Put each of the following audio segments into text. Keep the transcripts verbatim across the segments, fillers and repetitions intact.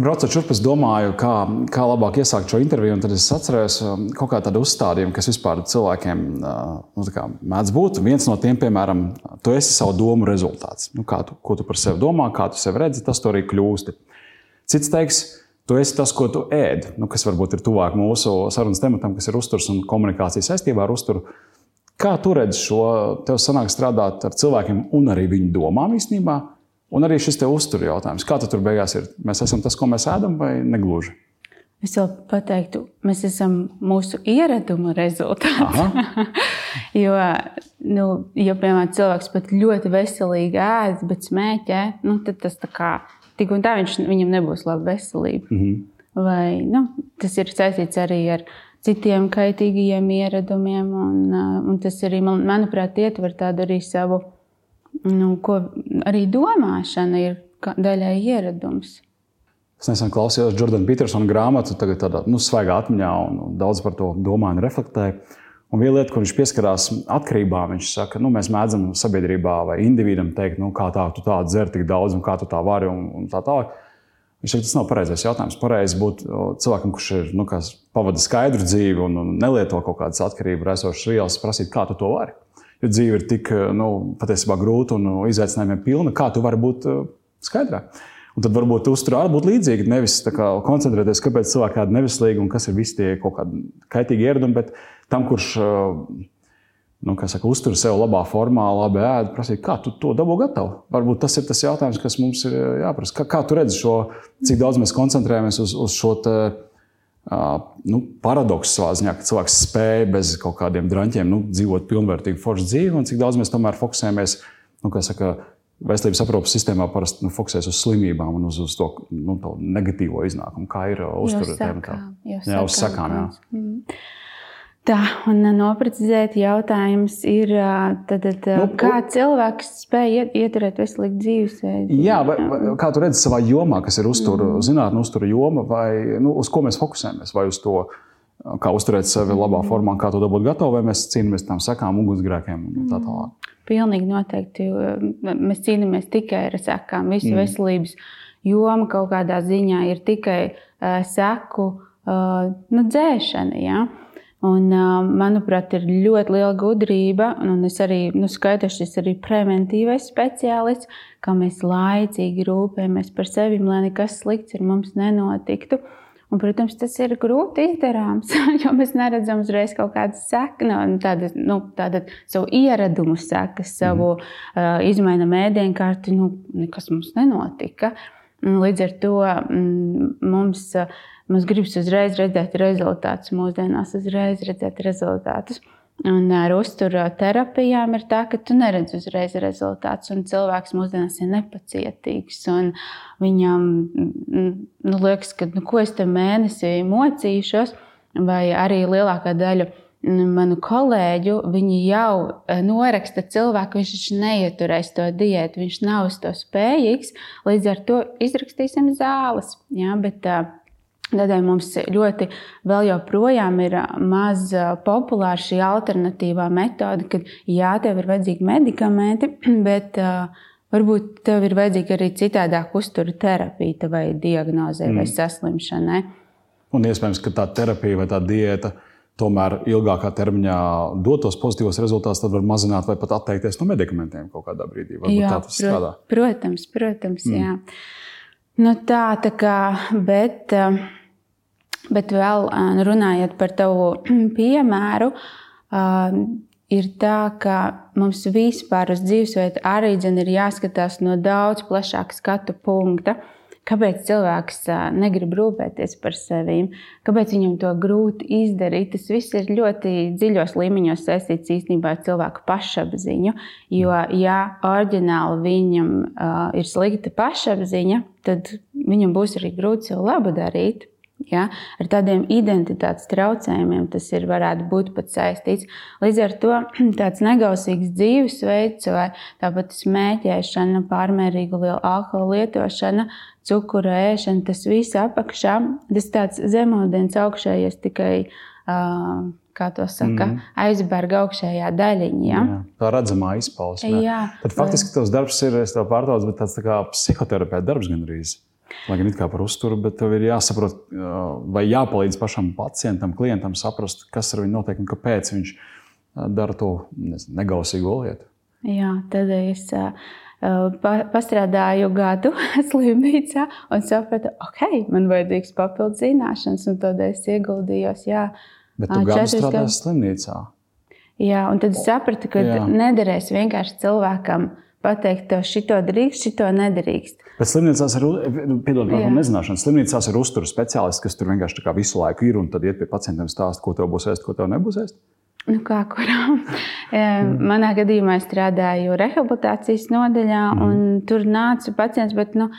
Braucot šurp, es domāju, kā, kā labāk iesākt šo interviju, un tad es atcerējos kaut kā tādu uzstādījumu, kas vispār cilvēkiem nu, kā, mēdz būt. Viens no tiem, piemēram, tu esi savu domu rezultāts. Nu, kā tu, ko tu par sevi domā, kā tu sevi redzi, tas tu arī kļūsti. Cits teiks, tu esi tas, ko tu ēd, nu, kas varbūt ir tuvāk mūsu sarunas tematam, kas ir uzturs un komunikācija saistībā ar uzturu. Kā tu redzi šo, tev sanāk strādāt ar cilvēkiem un arī viņu domām īstenībā? Un arī šis tev uzturu jautājums. Kā tu tur beigās ir? Mēs esam tas, ko mēs ēdam, vai negluži? Es vēl pateiktu, mēs esam mūsu ieradumu rezultāts. jo, nu, ja, piemēram, cilvēks pat ļoti veselīgi ēd, bet smēķē, nu, tad tas tā kā, tik un tā viņš, viņam nebūs laba veselība. Mm-hmm. Vai, nu, tas ir saistīts arī ar citiem kaitīgajiem ieradumiem, un, un tas arī, manuprāt, ietver tādu arī savu, nu, ko arī domāšana ir daļai ieradums. Es nesen klausījos Jordana Petersona grāmatu, tagad tādā nu, svaigā atmiņā, un daudz par to domāju un reflektēju. Un viena lieta, kur viņš pieskarās atkarībām, viņš saka, nu, mēs mēdzam sabiedrībā vai individam teikt, nu, kā tā, tu tā dzer tik daudz un kā tu tā vari un, un tā tālāk. Viņš saka, tas nav pareizais jautājums. Pareizi būt cilvēkam, kurš ir, nu, kas pavada skaidru dzīvi un, un nelieto kaut kādas atkarību raisošas vielas, prasīt, kā tu to vari. Jo dzīve ir tik, nu, patiesībā grūta un izaicinājumiem pilna, kā tu vari būt skaidrā. Un tad varbūt uzturā arī būt līdzīgi, nevis tā kā koncentrēties, kāpēc cilvēki kādi neveselīgi un kas ir visi tie kaut kādi kaitīgi ieradumi, bet tam, kurš, nu, kā saka, uztur sev labā formā, labi ēd, prasīt, kā tu to dabū gatavu. Varbūt tas ir tas jautājums, kas mums ir jāprasa. Kā, kā tu redzi šo, cik daudz mēs koncentrējamies uz, uz šo te, Uh, nu, paradoksu savā ziņā, ka cilvēks spēja bez kaut kādiem draņķiem nu, dzīvot pilnvērtīgu foršu dzīvi, un cik daudz mēs tomēr fokusējamies, nu, kā saka, veselības aprūpes sistēmā parasti nu, fokusēs uz slimībām un uz, uz to, nu, to negatīvo iznākumu, kā ir uztura tēmatā. Jā, uz sakām, jā. Mm. Tā, un noprecizēt jautājums ir, tad, tad, nu, kā cilvēks spēj ieturēt veselīgu dzīvesveidu? Jā, vai, vai, kā tu redzi savā jomā, kas ir uztura, mm. zinātne, uztura joma, vai nu, uz ko mēs fokusējamies? Vai uz to, kā uzturēt sevi labā formā, kā to dabūt gatavu, vai mēs cīnāmies tam sakām, ugunsgrēkiem un tā tālāk? Pilnīgi noteikti. Mēs cīnāmies tikai ar sakām. Visu mm. veselības joma kaut kādā ziņā ir tikai uh, seku uh, nu, dzēšana, jā. Un, manuprāt, ir ļoti liela gudrība, un es arī, nu, skaidrs, šis arī preventīvais speciālists, kā mēs laicīgi rūpējamies par sevi, lai nekas slikts ar mums nenotiktu. Un, protams, tas ir grūti izdarāms, jo mēs neredzam uzreiz kaut kādas sekas, nu, tādas, nu, tāda savu ieradumu sekas, savu mm. uh, izmainam ēdienkarti, nu, nekas mums nenotika. Līdz ar to mm, mums... Uh, Mums gribas uzreiz redzēt rezultātus, mūsdienās uzreiz redzēt rezultātus. Un ar uztura terapijām ir tā, ka tu neredz uzreiz rezultātus, un cilvēks mūsdienās ir nepacietīgs. Un viņam nu, liekas, ka nu, ko es te mēnesī mocīšos, vai arī lielākā daļa manu kolēģu, viņi jau noraksta cilvēku, viņš taču neieturēs to diētu, viņš nav uz to spējīgs, līdz ar to izrakstīsim zāles. Jā, bet, Tādēļ mums ļoti vēl joprojām ir maz populāra šī alternatīvā metode, kad jā, tev ir vajadzīgi medikamenti, bet uh, varbūt tev ir vajadzīga arī citādāk uztura terapija tavai diagnozē mm. vai saslimšanai. Un iespējams, ka tā terapija vai tā diēta tomēr ilgākā termiņā dot tos pozitīvos rezultātus, tad var mazināt vai pat atteikties no medikamentiem kaut kādā brīdī. Varbūt jā, tā tas strādā. Protams, protams, mm. jā. Nu tā, tā kā, bet... Uh, Bet vēl runājot par tavu piemēru, ir tā, ka mums vispār uz dzīvesveidu arī dzen ir jāskatās no daudz plašāka skatu punkta. Kāpēc cilvēks negrib rūpēties par sevi? Kāpēc viņam to grūti izdarīt? Tas viss ir ļoti dziļos līmeņos saistīts īstenībā ar cilvēku pašapziņu. Jo, ja oriģināli viņam uh, ir slikta pašapziņa, tad viņam būs arī grūti sev labu darīt. Ja, ar tādiem identitātes traucējumiem tas ir, varētu būt pat saistīts. Līdz ar to tāds negausīgs dzīvesveids vai tāpat smēķēšana, pārmērīga liela alkohola lietošana, cukura ēšana, tas viss apakšā, tas tāds zemūdens augšējies tikai, uh, kā to saka, mm. aizberga augšējā daļiņa. Ja? Jā, tā redzamā izpausme. Tad faktiski tavs darbs ir, es tev pārtraucu, bet tāds tā kā psihoterapeita darbs gandrīz. Lai gan it kā par uzturu, bet tev ir jāsaprot, vai jāpalīdz pašam pacientam, klientam saprast, kas ar viņu notiek un kāpēc viņš dara to nezinu, negausīgo lietu. Jā, tad es uh, pa, pastrādāju gadu slimnīcā un sapratu, ok, man vajadzīgs papildus zināšanas, un tad es ieguldījos, jā. Bet tu gadu strādāji slimnīcā? Jā, un tad es sapratu, ka jā. Nederēs vienkārši cilvēkam pateikt, tev šito drīkst, šito nedrīkst. Bet slimnīcās ir, piedod, varbūt nezināšana, slimnīcās ir uzturu speciālisti, kas tur vienkārši tā kā visu laiku ir un tad iet pie pacientiem stāst, ko tev būs ēst, ko tev nebūs ēst? Nu kā kurām? Manā gadījumā es strādāju rehabilitācijas nodaļā mm. un tur nāca pacients, bet nu,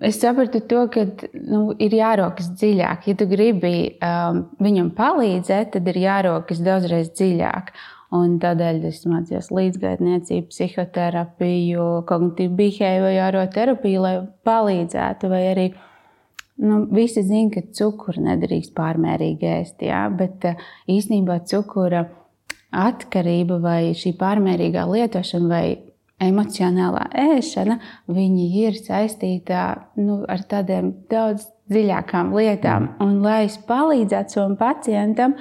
es sapratu to, ka nu, ir jārokas dziļāk. Ja tu gribi um, viņam palīdzēt, tad ir jārokas daudzreiz dziļāk. Un tādēļ es mācījos līdzgaitniecību, psihoterapiju, kognitīvu behaviorālo terapiju, lai palīdzētu. Vai arī nu, visi zina, ka cukuru nedrīkst pārmērīgi ēst, jā? Bet īstenībā cukura atkarība vai šī pārmērīgā lietošana vai emocionālā ēšana, viņi ir saistītā nu, ar tādiem daudz dziļākām lietām. Mm. Un lai es palīdzētu savam pacientam,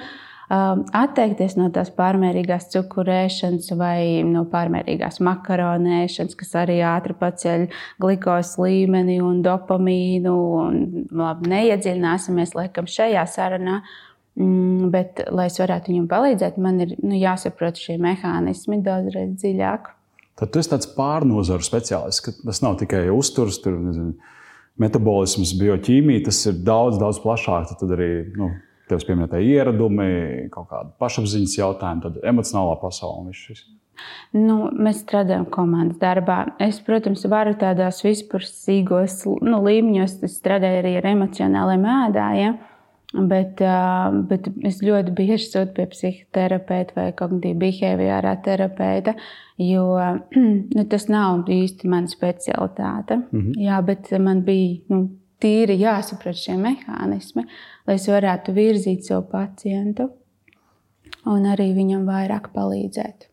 atteikties no tās pārmērīgās cukurēšanas vai no pārmērīgās makaronēšanas, kas arī ātri paceļ glikos līmeni un dopamīnu. Un, labi, neiedziļināsimies laikam šajā sarunā, bet, lai es varētu viņam palīdzēt, man ir nu, jāsaprot šie mehānismi daudzreiz dziļāk. Tad tu esi tāds pārnozaru speciālists, ka tas nav tikai uzturs, tur, nezinu, metabolisms, bioķīmija, tas ir daudz, daudz plašāk. Tad arī, nu, Tev pieminētāji ieradumi, kaut kāda pašapziņas jautājuma, tad emocionālā pasaule un viss šis. Nu, mēs strādājam komandas darbā. Es, protams, varu tādās vispusīgos nu, līmeņos, es strādāju arī ar emocionāliem ēdājiem, bet, bet es ļoti bieži sūtu pie psihoterapeita vai kognitīva behaviorālā terapeita, jo nu, tas nav īsti mana specialitāte. Mm-hmm. Jā, bet man bija nu, tīri jāsaprot šie mehānismi, lai es varētu virzīt savu pacientu un arī viņam vairāk palīdzēt.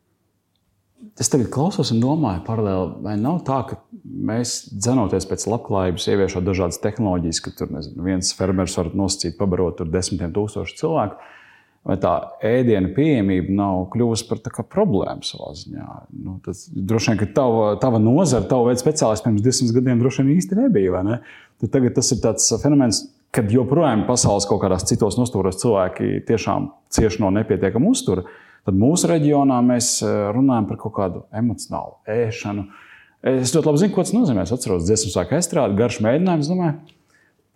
Es tagad klausos un domāju paralēli, vai nav tā, ka mēs dzenoties pēc labklājības, ieviešot dažādas tehnoloģijas, ka tur nezinu, viens fermers var nosacīt pabarot tur desmitiem tūkstošu cilvēku, vai tā ēdiena pieejamība nav kļuvusi par tā kā problēmu savā ziņā. Nu, tas, droši vien, ka tava, tava nozara, tava veida speciālists pirms divsimt gadiem droši vien īsti nebija, vai ne? Tad tagad tas ir tāds fenomens, kad joprojām pasaules kaut kādās citos nostūros cilvēki tiešām cieši no nepietiekama uztura, tad mūsu reģionā mēs runājam par kaut kādu emocionālu ēšanu. Es ļoti labi zinu, ko tas nozīmē. Es atceros dziesmu sāku estrādi, garš mēģinājums, domāju,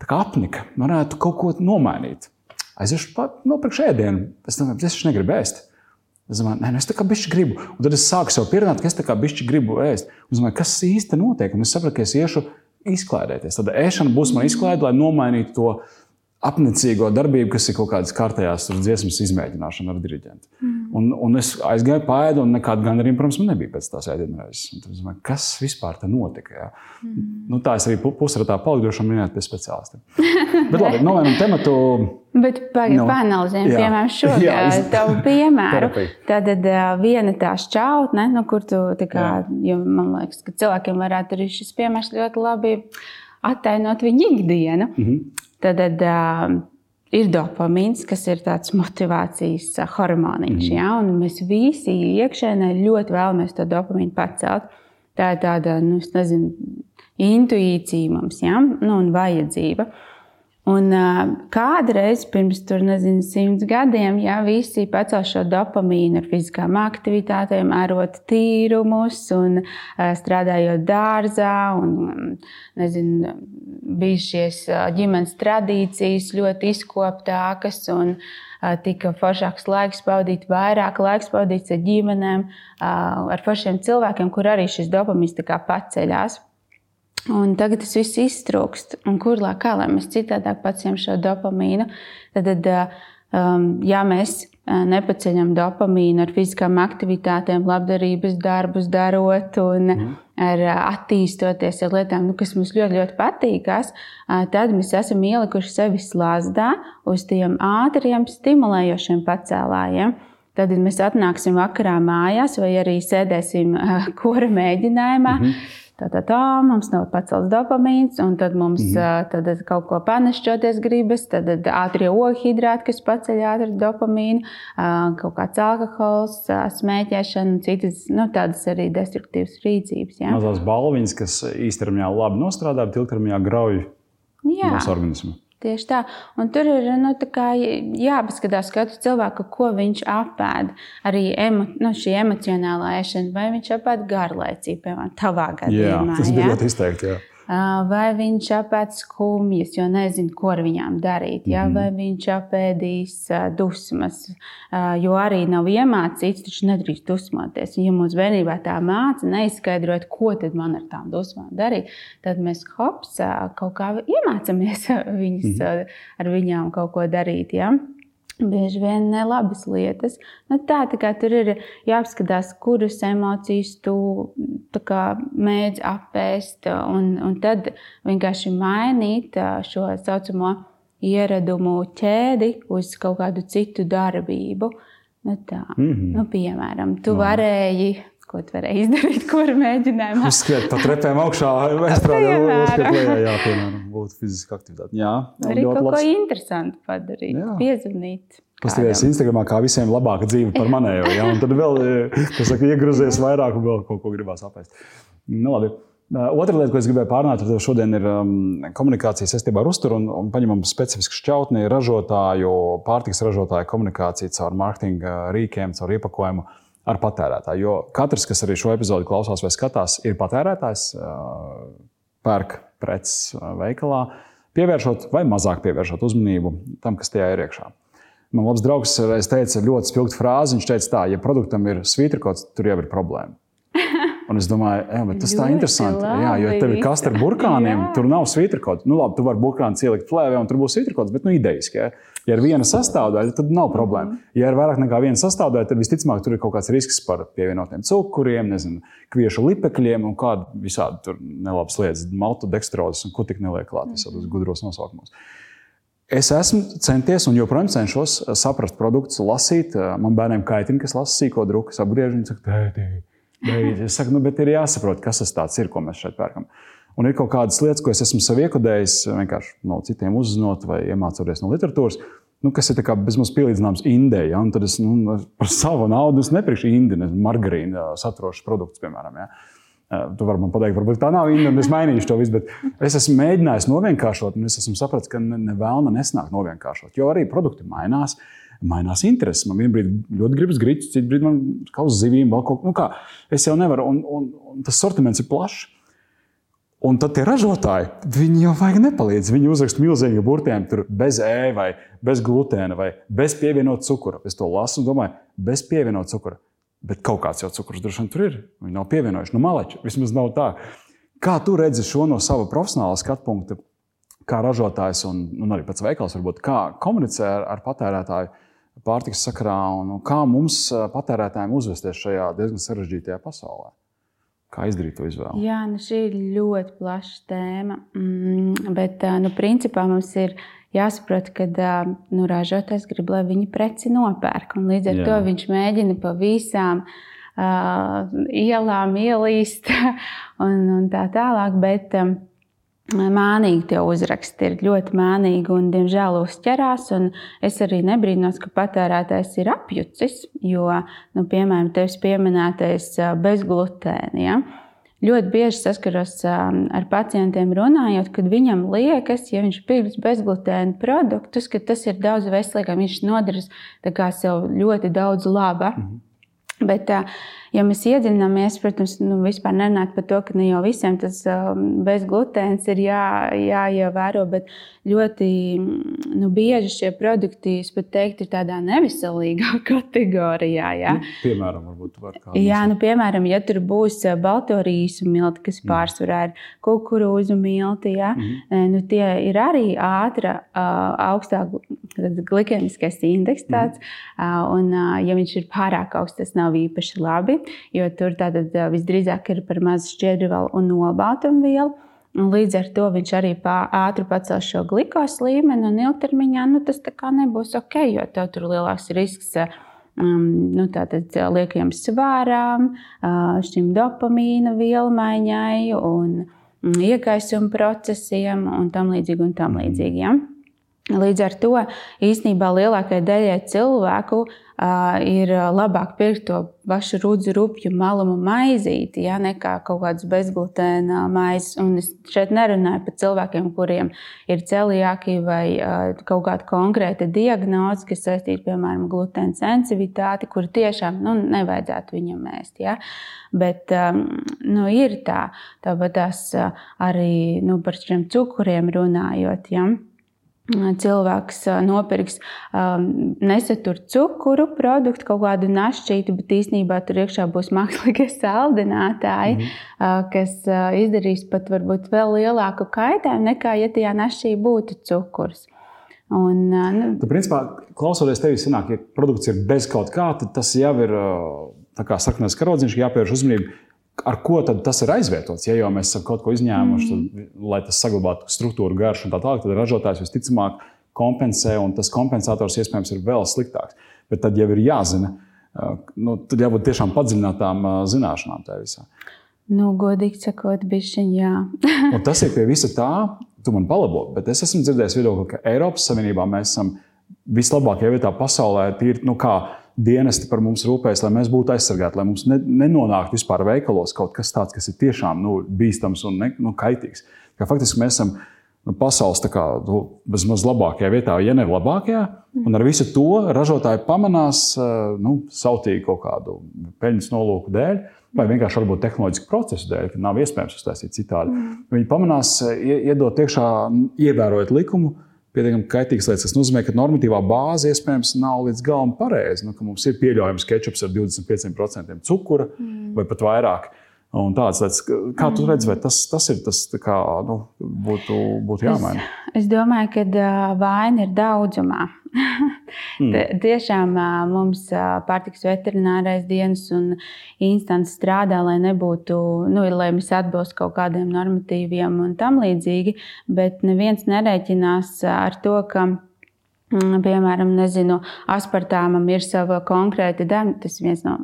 tā kā apnika, varētu kaut ko nomainīt. Aiziešu pat nopirkšu ēdienu, es domāju, es negribu ēst. Es domāju, nē, nu es tā kā bišķi gribu. Un tad es sāku sev pierunāt, ka es tā kā bišķi gribu ēst. Un es domāju, kas īsti notiek? Un es sapratu, ka es iešu izklaidēties. Tad ēšana būs man izklaide, lai nomainītu to apnicīgo darbību, kas ir kaut kādas kārtējās dziesmas izmēģināšana ar diriģentu. Mm. Un, un es aizgāju pāēdu, un nekāda gandarījuma, protams, man nebija pēc tās ēdienreizes. Un tad es domāju, kas vispār te notika? Jā? Mm. Nu, tā es arī pusratā paliku, droši minēt pie speciālistiem. Bet labi, novienam tematu. Bet pagaid, no. Panalizējam, piemēram, šo tavu piemēru. Tad viena tā šķautne, nu, kur tu, tā kā, jo man liekas, ka cilvēkiem varētu arī šis piemērs ļoti labi attainot viņu ikdienu. Mm-hmm. Tad uh, ir dopamīns, kas ir tāds motivācijas uh, hormoniņš, mm. ja? Un mēs visi iekšēnē ļoti vēlamies to dopamīnu pacelt. Tā ir tāda, nu, es nezinu, intuīcija mums, ja? Nu, un vajadzība. Un uh, kādreiz pirms tur, nezinu, simts gadiem, ja, visi pacēl šo dopamīnu ar fiziskām aktivitātēm, ārot tīrumus un uh, strādājot dārzā un, nezinu, bija šies ģimenes tradīcijas ļoti izkoptākas un uh, tika foršāks laiks pavadīt, vairāk laiks pavadīts ar ģimenēm, uh, ar foršiem cilvēkiem, kur arī šis dopamīns tā kā paceļās. Un tagad tas viss iztrūkst. Un kur lai kā, lai mēs citādāk paceļam šo dopamīnu, tad, um, ja mēs nepaceļam dopamīnu ar fiziskām aktivitātēm, labdarības darbus darot un mm. ar attīstoties ar lietām, nu, kas mums ļoti, ļoti patīkās, tad mēs esam ielikuši sevi slazdā uz tiem ātriem, stimulējošiem pacēlājiem. Tad mēs atnāksim vakarā mājās vai arī sēdēsim kora mēģinājumā. Mm-hmm. Tā, tā, tā, mums nav pacelts dopamīns, un tad mums mm. tad kaut ko panešķoties gribas, tad ātrie ogļhidrāti, kas paceļ ātri dopamīnu, kaut kāds alkohols, smēķēšana, citas, nu, tādas arī destruktīvas rīcības. Ja? Mazās balviņas, kas īstermiņā labi nostrādā, bet ilgtermiņā grauj mūsu organismu. Tieši tā. Un tur ir nu, jāpaskatās katru cilvēku, ko viņš apēd. Arī emo, nu, šī emocionālā ēšana, vai viņš apēd garlaicīgi, piemēram, tavā gadījumā. Jā, tas bija ļoti izteikti, jā. Vai viņš apēd skumjas, jo nezinu, ko ar viņām darīt. Ja? Mm-hmm. Vai viņš apēdīs dusmas, jo arī nav iemācīts, taču nedrīkst dusmoties. Ja mums bērnībā tā māca neizskaidrot, ko tad man ar tām dusmām darīt, tad mēs hops kaut kā iemācamies viņas, mm-hmm. ar viņām kaut ko darīt. Ja? Bieži vien nelabas lietas. Nu, tā, tā kā tur ir jāapskatās, kuras emocijas tu kā, mēdz apēst, un, un tad vienkārši mainīt šo saucamo ieradumu ķēdi uz kaut kādu citu darbību. Nu, tā. Mm-hmm. Nu, piemēram, tu varēji... Ko tu varēji izdarīt, ko ar mēģinājumu? Uzskriet pa trepēm augšā, uzskriet lejā, jā, piemēram, būtu fiziska aktivitāte. Jā, arī kaut labs. Ko interesantu padarīt, jā. Piezvanīt. Paskaties Instagramā, kā visiem labāka dzīve par manējo, jā, un tad vēl, kas saka, iegruzies vairāk un vēl kaut ko gribās apēst. Nu, labi. Otra lieta, ko es gribēju pārnāt ar tevi šodien, ir um, komunikācija saistībā ar uzturu un, un paņemam specifisku šķautni ražotāju, pārtikas ražotāju komunikāciju caur mārketinga rīkiem, caur iepakojumu. Ar patērētāju, jo katrs, kas arī šo epizodi klausās vai skatās, ir patērētājs, pērk preces veikalā, pievēršot vai mazāk pievēršot uzmanību tam, kas tajā ir iekšā. Man labs draugs reiz teica ļoti spilgtu frāzi, viņš teica tā, ja produktam ir svītrikots, tur jau ir problēma. Un es domāju, jā, bet tas tā interesanti, jā, jo tev ir kaste ar burkāniem, tur nav svītrikots. Nu labi, tu vari burkānu ielikt plēvē un tur būs svītrikots, bet nu idejiski, ja? Ja ir viena sastāvdaļa, tad nav problēma. Ja ir vairāk nekā viena sastāvdaļa, tad visticamāk tur ir kaut kāds risks par pievienotiem cukuriem, nezinu, kviešu lipekļiem un kādu visādi tur nelabas lietas, maltodekstrozes un ko tik neliek klāt visādos gudros nosaukumos. Es esmu centies un joprojām cenšos saprast produktus, lasīt. Man bērniem kaitina, kas lasa sīko druku, apgriež un saka, tētī, beidz. Es saku, nu, bet ir jāsaprot, kas tas tāds ir, ko mēs šeit pērkam. Un ir kaut kādas lietas, ko es esmu sev iekodējis, vienkārši no citiem uzzinot vai iemācoties no literatūras, nu, kas ir tā kā bezmaz pielīdzināms indei. Ja? Un tad es nu, par savu naudu nepirkšu indi, margarīnu saturošas produktus, piemēram. Ja? Tu vari man pateikt, varbūt tā nav indi, un es mainīšu to visu, bet es esmu mēģinājis novienkāršot, un es esmu sapratis, ka ne vēlna nesnāk novienkāršot, jo arī produkti mainās. Mainās intereses. Man vienā brīdī ļoti gribas griķus, citu brīdī man kā uz zivīm, vēl kaut ko. Nu kā, es jau nevaru, un, un, un tas sortiments ir plašs. Un tad tie ražotāji, viņi jau vajag nepalīdz. Viņi uzraksta milzīgi burtiem tur bez E vai bez glutēna vai bez pievienot cukura. Es to lasu un domāju, bez pievienot cukura. Bet kaut kāds jau cukurs droši vien tur ir. Viņi nav pievienojuši. Nu, maleči, vismaz nav tā. Kā tu redzi šo no sava profesionāla skatpunkta, kā ražotājs un, un arī pats veikals varbūt, kā komunicē ar, ar patērētāju pārtikas sakarā un kā mums patērētājiem uzvesties šajā diezgan sarežģītajā pasaulē? Kā izdarīt to izvēli? Jā, nu šī ir ļoti plaša tēma, mm, bet nu, principā mums ir jāsaprot, ka nu, ražotājs grib, lai viņi preci nopērk, un līdz ar Jā. To viņš mēģina pa visām uh, ielām ielīst un, un tā tālāk, bet um, mānīgi tie uzraksti ir ļoti mānīgi un, diemžēl, uzķerās. Un es arī nebrīnos, ka patērētājs ir apjucis, jo, nu, piemēram, tevis pieminētais bezglutēni. Ja? Ļoti bieži saskaros ar pacientiem runājot, kad viņam liekas, ja viņš pirks bezglutēnu produktus, ka tas ir daudz veselīgāk, viņš nodaras tā kā sev ļoti daudz laba. Mhm. Bet, ja mēs iedziļināmies, protams, nu, vispār nerunāt par to, ka ne jau visiem tas bezglutēns ir jā, jāievēro, bet ļoti nu, bieži šie produkti, es pat teiktu, ir tādā neveselīgā kategorijā. Jā. Nu, piemēram, varbūt var kādu. Jā, nu, piemēram, ja tur būs balto rīsu milti, kas mm. pārsvarā ir kukurūzu milti, jā, mm. nu, tie ir arī ātra, augstāk glikēmiskais indeks tāds, mm. un ja viņš ir pārāk augsts, tas nav īpaši labi, jo tur tātad visdrīzāk ir par maz šķiedrvielu un olbaltumvielu. Līdz ar to viņš arī ātri pacels šo glikos līmeni un ilgtermiņā nu, tas tā kā nebūs ok, jo tev tur lielāks risks um, nu, tātad liekajam svārām, uh, šim dopamīna vielmaiņai un um, iekaisuma procesiem un tam līdzīgi un tam līdzīgi. Ja? Līdz ar to īstenībā lielākajai daļai cilvēku uh, ir labāk pirkt to pašu rudzu rupju malumu maizīti, ja, nekā kaut kādas bezglutēna maizes. Un es šeit nerunāju par cilvēkiem, kuriem ir celiaki vai uh, kaut kāda konkrēta diagnoze, kas saistīta, piemēram, glutēna sensivitāti, kur tiešām nu, nevajadzētu viņam ēst. Ja. Bet um, nu, ir tā, tāpat tās uh, arī nu, par šiem cukuriem runājot, ja. Cilvēks nopirks um, nesatur cukuru produktu, kaut kādu našķītu, bet īstenībā tur iekšā būs mākslīgie saldinātāji, mm. uh, kas uh, izdarīs pat varbūt vēl lielāku kaitējumu nekā, ja tajā našķī būtu cukurs. Un, uh, nu... Tu, principā, klausoties tevi, sanāk, ja produkts ir bez kaut kā, tad tas jau ir tā kā sarkanais karodziņš, jāpievērš uzmanību. Ar ko tad tas ir aizvietots? Ja jau mēs esam kaut ko izņēmuši, tad, lai tas saglabātu struktūru, garšu un tā tālāk, tad ražotājs visticamāk kompensē, un tas kompensators iespējams ir vēl sliktāks. Bet tad jau ir jāzina, nu, tad jābūt tiešām padziļinātām zināšanām tajā visā. Nu, godīgi sakot, bišķiņ, jā. Un tas ir pie visa tā, tu man palabo, bet es esmu dzirdējis viedokli, ka Eiropas Savienībā mēs esam vislabākajā vietā pasaulē, tīri, nu kā, dienesti par mums rūpējas, lai mēs būtu aizsargāti, lai mums ne, nenonāktu vispār veikalos kaut kas tāds, kas ir tiešām nu, bīstams un ne, nu, kaitīgs. Kā faktiski mēs esam nu, pasaules tā kā, nu, bezmaz labākajā vietā, ja ne labākajā, un ar visu to ražotāji pamanās nu, sautīgi kaut kādu peļņas nolūku dēļ, vai vienkārši varbūt tehnoloģisku procesu dēļ, ka nav iespējams uztaisīt citādi. Viņi pamanās iedot iekšā, ievērojot likumu, pietiekami kaitīgas lietas. Tas nozīmē, ka normatīvā bāze iespējams nav līdz galam pareiza, nu, ka mums ir pieļaujams kečups ar divdesmit pieciem procentiem cukura mm. vai pat vairāk. Un tāds lietas, kā tu redzi, vai tas, tas ir tas, kā, nu, būtu, būtu jāmaina? Es, es domāju, ka vaina ir daudzumā. mm. Tiešām mums pārtikas veterinārais dienas un instants strādā, lai nebūtu, nu, lai mēs atbilst kaut kādiem normatīviem un tam līdzīgi, bet neviens nerēķinās ar to, ka piemēram, nezinu, aspartāmam ir sava konkrēta deva, tas ir viens no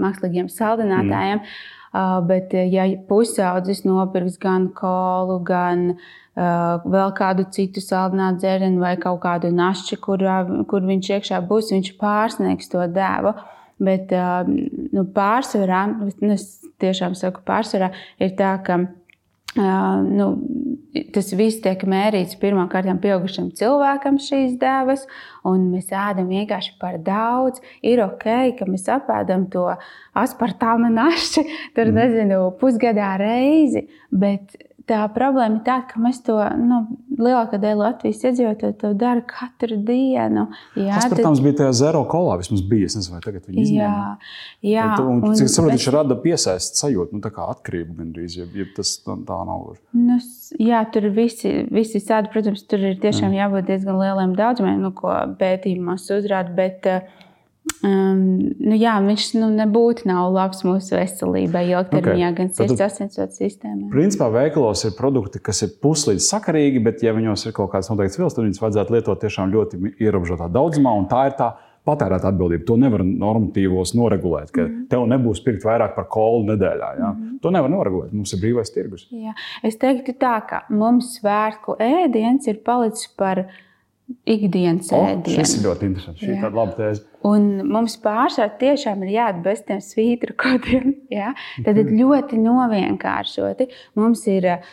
mākslīgiem saldinātājiem, mm. bet ja pusaudzis nopirks gan kolu, gan uh, vēl kādu citu saldinātu dzērienu vai kaut kādu našķi, kur, kur viņš iekšā būs, viņš pārsniegs to devu. Bet uh, nu, pārsvarā, nu, es tiešām saku pārsvarā, ir tā, ka uh, nu, tas viss tiek mērīts pirmkārt pieaugušam cilvēkam šīs devas, un mēs ēdam vienkārši par daudz. Ir ok, ka mēs apēdam to aspartāma našķi, tur, nezinu, pusgadā reizi, bet tā problēma ir tāda, ka mēs to, nu, lielākā daļa Latvijas iedzīvotāju to dara katru dienu. Jā, aspartāms tad... bija tajā zero kolā, vismaz bija, es nezinu, vai tagad viņi izņēma. Jā, jā. Un, un, cik saprot, viņš bet... rada piesaist sajūtu, nu, tā kā atkarību gandrīz, ja, ja tas tā nav. Nu, jā, tur visi, visi sādi, protams, tur ir tiešām jā. jābūt diezgan lieliem daudzumiem, nu, ko pētījumos uzrāda, bet Um, nu jā, viņš nu, nebūtu nav labs mūsu veselībai ilgtermiņā, okay. gan sirds asinsvads sistēmai. Principā veikalos ir produkti, kas ir puslīdz sakarīgi, bet ja viņos ir kaut kāds noteikts vielas, tad viņus vajadzētu lietot tiešām ļoti ierobežotā daudzumā, un tā ir tā patērēta atbildība. To nevar normatīvos noregulēt, ka mm. tev nebūs pirkt vairāk par kolu nedēļā. Jā. Mm. To nevar noregulēt, mums ir brīvais tirgus. Jā. Es teiktu tā, ka mums svētku ēdiens ir palicis par ikdienas oh, ēdienu. Šis ir ļoti interesants. Šī ir tāda laba tēze. Un mums pārsvarā tiešām ir jāatbalsta tiem svītrukotiem. Ja? Tad ļoti novienkāršoti. Mums ir uh,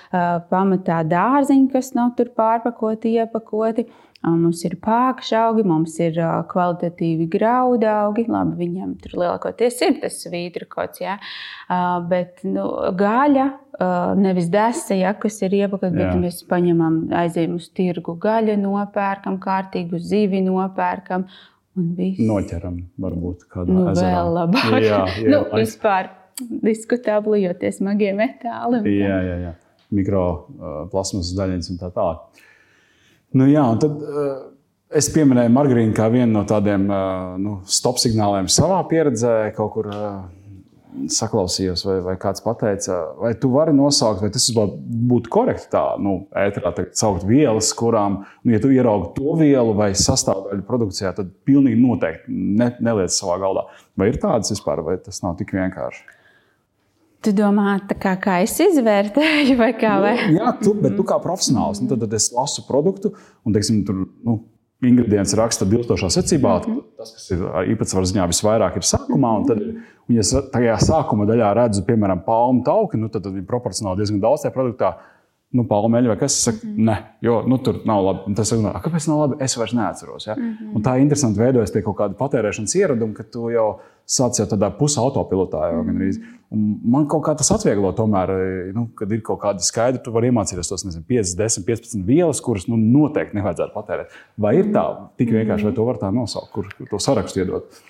pamatā dārziņi, kas nav tur pārpakoti, iepakoti. Mums ir pākšaugi, mums ir uh, kvalitatīvi graudaugi. Labi, viņiem tur lielākoties ir tas svītrukots. Ja? Uh, bet nu, gaļa, uh, nevis desa, ja, kas ir iepakot, bet mēs paņemam, aizējam uz tirgu gaļu, nopērkam kārtīgu zivi, nopērkam. Noķeram, varbūt kādā nu, ezerā. Vēl labāk. Jā, jā, nu, vispār diskutabli, jo tie smagie metāli. Jā, jā, jā. Mikroplasmasas daļiņas un tā tālāk. Nu jā, un tad uh, es pieminēju margarīnu kā vienu no tādiem uh, nu, stop signāliem savā pieredzē, kaut kur uh, saklausījos, vai, vai kāds pateica, vai tu vari nosaukt, vai tas būtu korekti tā, nu, ēterā saukt vielas, kurām, nu, ja tu ieraugi to vielu vai sastāvdaļu produkcijā, tad pilnīgi noteikti ne, neliec savā galdā. Vai ir tādas vispār, vai tas nav tik vienkārši? Tu domā, tā kā, kā es izvērtēju, vai kā? Vai? Nu, jā, tu, bet tu kā profesionāls, nu, tad, tad es lasu produktu un, teiksim, tur, nu, ingredients raksta bilstošā secībā, mm-hmm. tas, kas ir īpatsvaru ziņā visvairāk, ir sākumā. Un tad, un ja tajā sākuma daļā redzu, piemēram, palmu tauki, nu, tad, tad ir proporcionāli diezgan daudz tajā produktā. Nu, palmeļi vai kas, es saku, mm-hmm. ne, jo nu, tur nav labi. Tas saka, kāpēc nav labi? Es vairs neatceros. Ja? Mm-hmm. Un tā ir interesanti veidojas tie kaut kādi patērēšanas ieradumi, ka tu jau sāc jau tādā pusautopilotā. Jau, mm-hmm. Man kaut kā tas atvieglo tomēr, nu, kad ir kaut kādi skaidri, tu vari iemācīties tos, nezinu, pieci, desmit, piecpadsmit vielas, kuras nu, noteikti nevajadzētu patērēt. Vai ir tā tik vienkārši, vai to var tā nosaukt, kur to sarakstu iedot?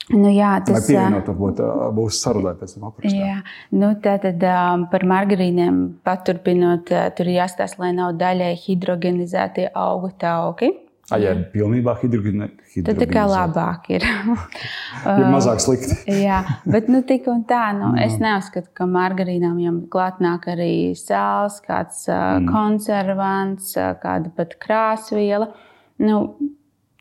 Nu, jā, tas, vai pievienot, varbūt būs sarunai pēc tam aprakstā? Jā, nu, tātad par margarīniem paturpinot, tur ir jāstāsta, lai nav daļai hidrogenizētie augu tauki. A, ja ir pilnībā hidrogenizēti. Tad tā kā labāk ir. Ir mazāk slikti. Jā, bet nu tik un tā, nu, es neuzskatu, ka margarīnām jau klāt nāk arī sāls, kāds mm. konservants, kāda pat krāsviela. Nu,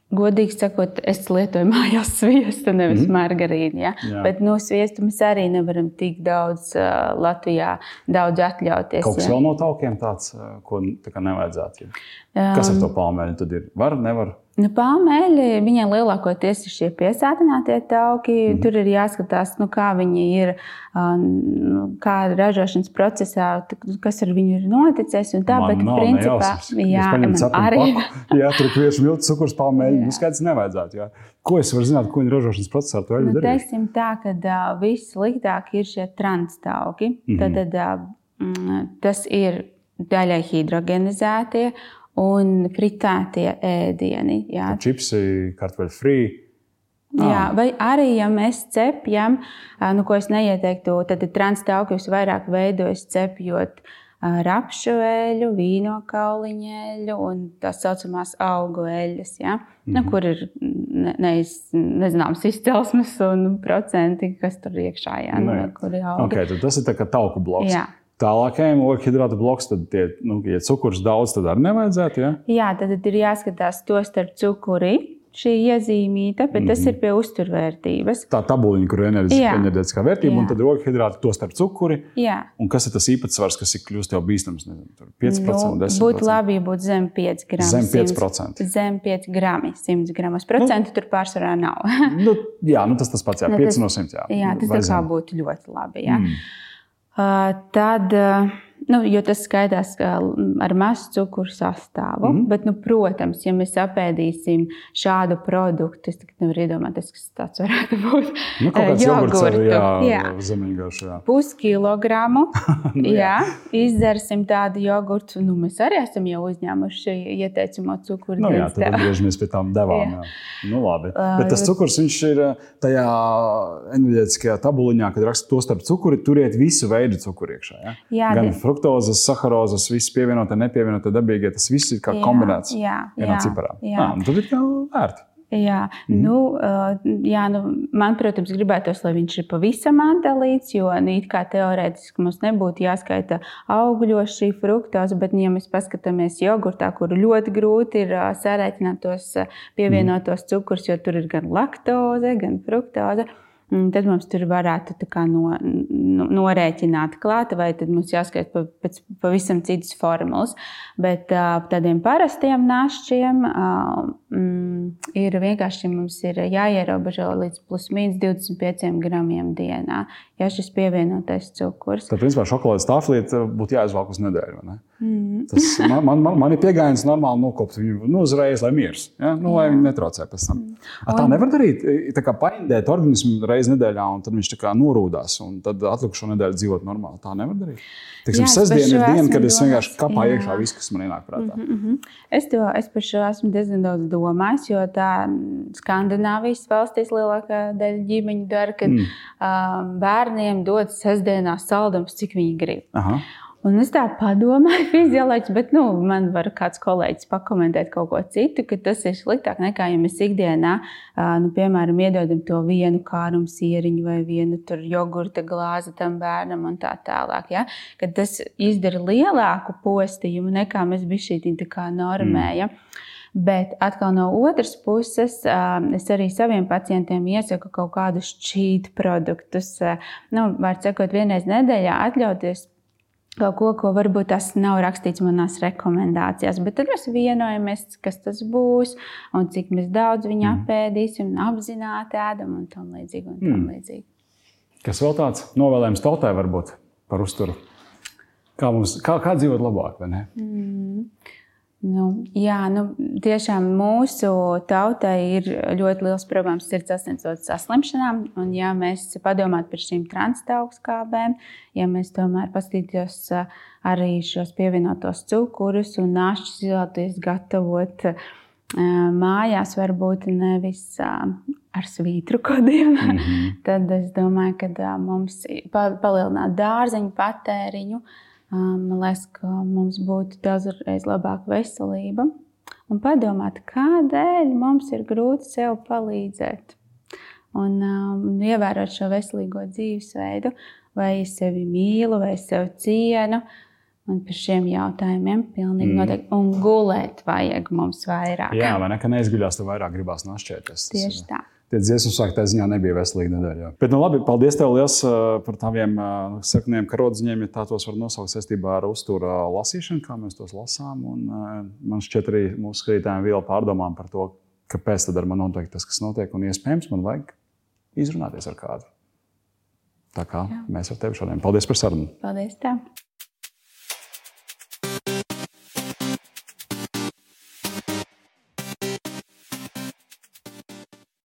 godīgi sakot, es lietoju mājās sviestu, nevis mm. margarīnu. Ja? Bet no sviestu mēs arī nevaram tik daudz uh, Latvijā daudz atļauties. Kaut kas ja? vēl no taukiem tāds, ko tā kā nevajadzētu? Ja? Kas ar to palmeļu tad ir? Var, nevar? Nu, palmeļi, viņai lielākoties ir šie piesātinātie tauki. Mm. Tur ir jāskatās, nu, kā viņi ir, nu, kā ražošanas procesā, kas ar viņu ir noticis. Un tā, man bet, nav principā, jā, man arī. Paku, jā, tur kviešu miltu, cukurs, palmeļi, nu, skaidrs nevajadzētu. Jā. Ko es varu zināt, ko viņa ražošanas procesā to eļu nu, darīt? Teiksim tā, ka uh, viss sliktāk ir šie transtauki. Mm-hmm. Tad, tad uh, tas ir daļai hidrogenizētie un fritētie ēdieni. Jā. Čipsi, kartupeļu frī. Jā, vai arī, ja mēs cepjam, nu, ko es neieteiktu, tad transtauki visvairāk veidojas cepjot rapšu eļu, vīno kauliņeļu un tās saucamās augu eļas, ja? Mm-hmm. Nu, kur ir ne, neiz, nezināms izcelsmes un procenti, kas tur iekšā, ja? Nu, kur ir augi. Okay, tad tas ir tā kā tauku bloks. Jā. Tālākajiem ogļhidrātu bloks, tad, tie, nu, ja cukurs daudz, tad arī nevajadzētu, ja? Jā, tad ir jāskatās to starp cukuri, šī iezīmīta, bet mm-hmm. tas ir pie uzturvērtības. Tā tabuliņa, kur ir enerģētiskā vērtība, jā. Un tad ir ogļhidrāti, to starp cukuri. Jā. Un kas ir tas īpatsvars, kas ir kļūst jau bīstams? Nezinu, pieci procenti, nu, desmit procenti. Būtu labi, ja būtu zem pieci grami. Zem pieci procenti. Zem pieci grami, simts gramos. Procentu nu, tur pārsvarā nav. nu, jā, nu tas tas pats, jā, nu, pieci tas, no simts, jā. Jā, tas tā kā būtu ļoti labi, jā. Mm. Uh, tad, uh, nu, jo tas skaidās ar mazu cukuru sastāvu, mm-hmm. bet, nu, protams, ja mēs apēdīsim šādu produktu, es nevaru iedomāties, kas tāds varētu būt. Nu, kaut kāds jogurts ar, jā, jā. Zemeņgašu, jā. Puskilogramu, nu, jā. jā, izdzersim tādu jogurtu, nu, mēs arī esam jau uzņēmuši ieteicamo cukuru. Nu, jā, tad atgriežamies pie tām devām, jā. jā. Nu, labi. Uh, bet tas cukurs, viņš ir tajā enerģētiskajā tabuliņā, kad raksta to starp cukuri, turiet visu veidu cukuru iekšā, jā? Jā, gan fruktozes, saharozes, viss pievienotā, nepievienotā dabīgie, tas viss ir kā jā, kombinēts jā, vienā ciparā. Jā. Ah, un tad ir kā vērti. Jā, mm-hmm. nu, jā, nu, man, protams, gribētos, lai viņš ir pavisam atdalīts, jo nu, it kā teorētiski mums nebūtu jāskaita augļos šī fruktoze, bet, ja mēs paskatāmies jogurtā, kur ļoti grūti ir sarēķināt tos pievienotos mm-hmm. cukurs, jo tur ir gan laktoze, gan fruktoze, tad mums tur varētu tā kā no, no, norēķināt klāt, vai tad mums jāskait pa, pēc pavisam citas formulas. Bet tādiem parastiem našķiem mm, ir vienkārši mums ir jāierobežo līdz plus mīnus divdesmit pieciem gramiem dienā, ja šis pievienotais cukurs. Tad, principā, šokolādes tāflīte būtu jāizvalk uz nedēļu, vai ne? Mm. Tas man, man, man, man ir piegājiens normāli nokopt viņu nu, uzreiz, lai miers, ja? Nu, lai viņi netraucē pēc tam. Mm. Tā nevar darīt, tā kā paindēt organismu reizi nedēļā, un tad viņš tā kā norūdās, un tad atlikušo nedēļu dzīvot normāli. Tā nevar darīt. Teiksim, sestdiena ir diena, kad es vienkārši kapā jā. Iekšā visu, kas man ienāk prātā. Mm-hmm. Es, to, es par šo esmu diezgan daudz domājis, jo tā Skandināvijas valstīs lielākā daļa ģimeņu dara, kad mm. um, bērniem dod sestdienās saldums, cik viņi grib. Aha. Un es tā padomāju, fizioloģiski, bet nu, man var kāds kolēģis pakomentēt kaut ko citu, ka tas ir sliktāk nekā, ja mēs ikdienā, nu, piemēram, iedodam to vienu kārumu sieriņu vai vienu tur jogurta glāzi tam bērnam un tā tālāk. Ja? Kad tas izdara lielāku postījumu nekā mēs bišķītiņ tā kā normējam. Mm. Bet atkal no otras puses, es arī saviem pacientiem iesaku kaut kādus cheat produktus. Nu, var sakot, vienreiz nedēļā atļauties kaut ko, ko varbūt tas nav rakstīts manās rekomendācijās. Bet tad mēs vienojamies, kas tas būs un cik mēs daudz viņu apēdīsim un apzināti ēdam un tam līdzīgi. Un tam līdzīgi. Mm. Kas vēl tāds novēlējums tautai varbūt par uzturu? Kā, mums, kā, kā dzīvot labāk, vai ne? Mm. Nu, jā, nu, tiešām mūsu tautai ir ļoti liels problēmas sirds asinsvadu saslimšanām. Un, ja mēs padomātu par šīm transtauskābēm, ja mēs tomēr paskatītos arī šos pievienotos cukurus un našķus izvēlēties gatavot mājās, varbūt nevis ar svītru kodiem, mm-hmm. tad es domāju, ka mums palielināt dārzeņu patēriņu. Man liekas, ka mums būtu daudzreiz labāka veselība un padomāt, kādēļ mums ir grūti sev palīdzēt un um, ievērot šo veselīgo dzīvesveidu, vai es sevi mīlu, vai es sevi cienu. Un par šiem jautājumiem pilnīgi mm. noteikti. Un gulēt vajag mums vairāk. Jā, vai ne, ka neizguļās, tev vairāk gribās našķēties. Tieši tā. Tie dziesmu svētki tā ziņā nebija veselīga nedēļa. Bet, nu labi, paldies tev liels par taviem sakniem karodziņiem, ja tā tos var nosaukt saistībā ar uzturu lasīšanu, kā mēs tos lasām. Un man šķiet arī mūsu skatītājiem viela pārdomām par to, kāpēc tad ar man notiek tas, kas notiek, un iespējams man vajag izrunāties ar kādu. Tā kā Jā. Mēs ar tevi šodien. Paldies par sarunu. Paldies tev.